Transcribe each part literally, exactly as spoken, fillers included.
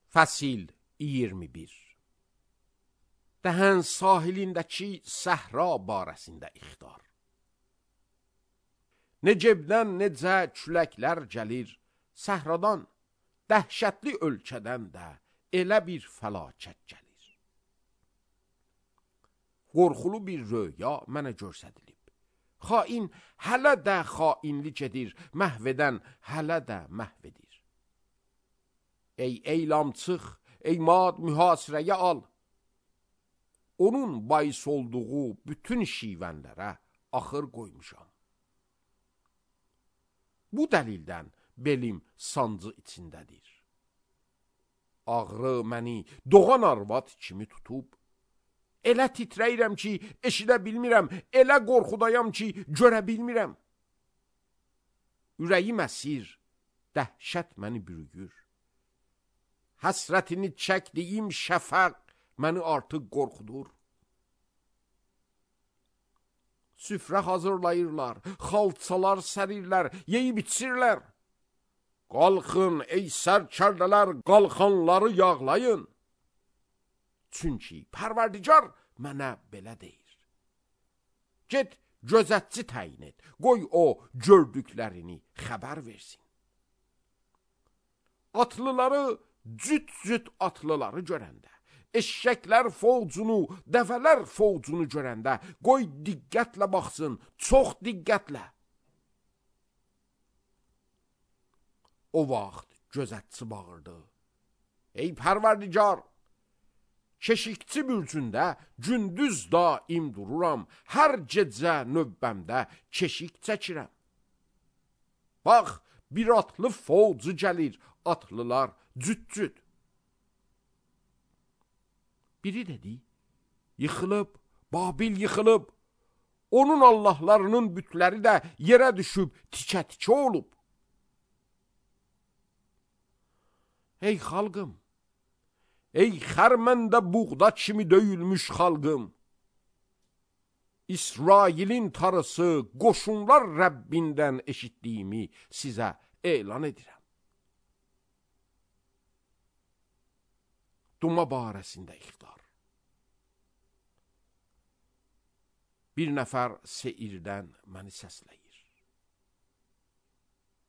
Fəsil iyirmi bir. Dəhən sahilindəki səhra barəsində ixtar. Necebdən necə küləklər gəlir, səhradan, dəhşətli ölkədən də elə bir fəlakət gəlir. Qorxulu bir röya mənə görsədilib. Xain hələ də xainlik edir, məhv edən hələ də məhv edir. Ey eylamçıq, ey mad mühasirəyə al. Onun bais olduğu bütün şivənlərə axır qoymuşam. Bu dəlildən belim sancı içindədir. Ağrı məni doğan arvad kimi tutub. Elə titrəyirəm ki, eşidə bilmirəm, elə qorxudayam ki, görə bilmirəm. Ürəyim əsir, dəhşət məni bürüyür. Həsrətini çəkdiyim şəfəq məni artıq qorxudur. Süfrə hazırlayırlar, xalçalar sərirlər, yeyib içirlər. Qalxın ey sərkərdələr, qalxanları yağlayın. Çünki Pərverdigar mənə belə deyir. Get gözətçi təyin et, qoy o gördüklərini xəbər versin. Atlıları cüt-cüt atlıları görəndə, eşşəklər fovcunu, dəvələr fovcunu görəndə, qoy diqqətlə baxsın, çox diqqətlə. O vaxt gözətçi bağırdı. Ey Pərverdigar, keşikçi bürcündə gündüz daim dururam, hər gecə növbəmdə keşik çəkirəm. Bax, bir atlı fovcu gəlir, atlılar cüt-cüt. Biri dedi, yıxılıb, Babil yıxılıb, onun Allahlarının bütləri də yerə düşüb, tikə-tikə olub. Ey xalqım, ey xərməndə buğda kimi döyülmüş xalqım, İsrailin tarısı, qoşunlar Rəbbindən eşitdiyimi sizə elan edirəm. Duma barəsində ixtar. Bir nəfər seirdən məni səsləyir.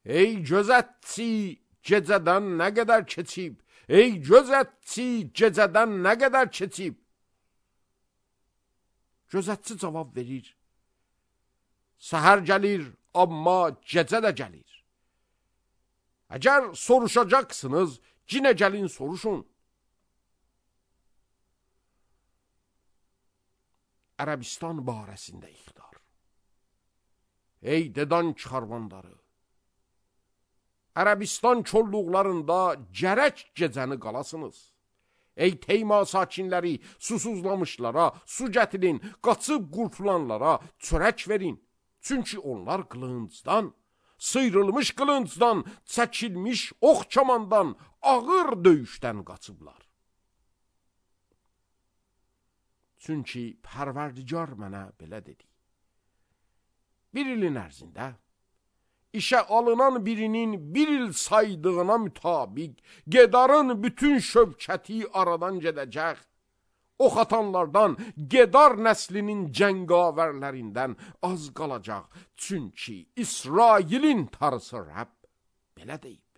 Ey gözətçi, gecədən nə qədər keçib? Ey gözətçi, gecədən nə qədər keçib? Gözətçi cavab verir. Səhər gəlir, amma gecə də gəlir. Əgər soruşacaqsınız, yenə gəlin soruşun. Ərəbistan barəsində ixtar. Ey Dedan karvanları, Ərəbistan çolluqlarında gərək gecəni qalasınız. Ey Teyma sakinləri, susuzlamışlara su gətirin, qaçıb qurtulanlara çörək verin. Çünki onlar qılıncdan, sıyrılmış qılıncdan, çəkilmiş ox kamandan, ağır döyüşdən qaçıblar. Çünki Pərverdigar mənə belə dedi. Bir ilin ərzində, işə alınan birinin bir il saydığına mütabiq, Gedarın bütün şövkəti aradan gedəcək. Ox atanlardan, Gedar nəslinin cəngavərlərindən az qalacaq. Çünki İsrailin tarısı Rəbb belə deyib.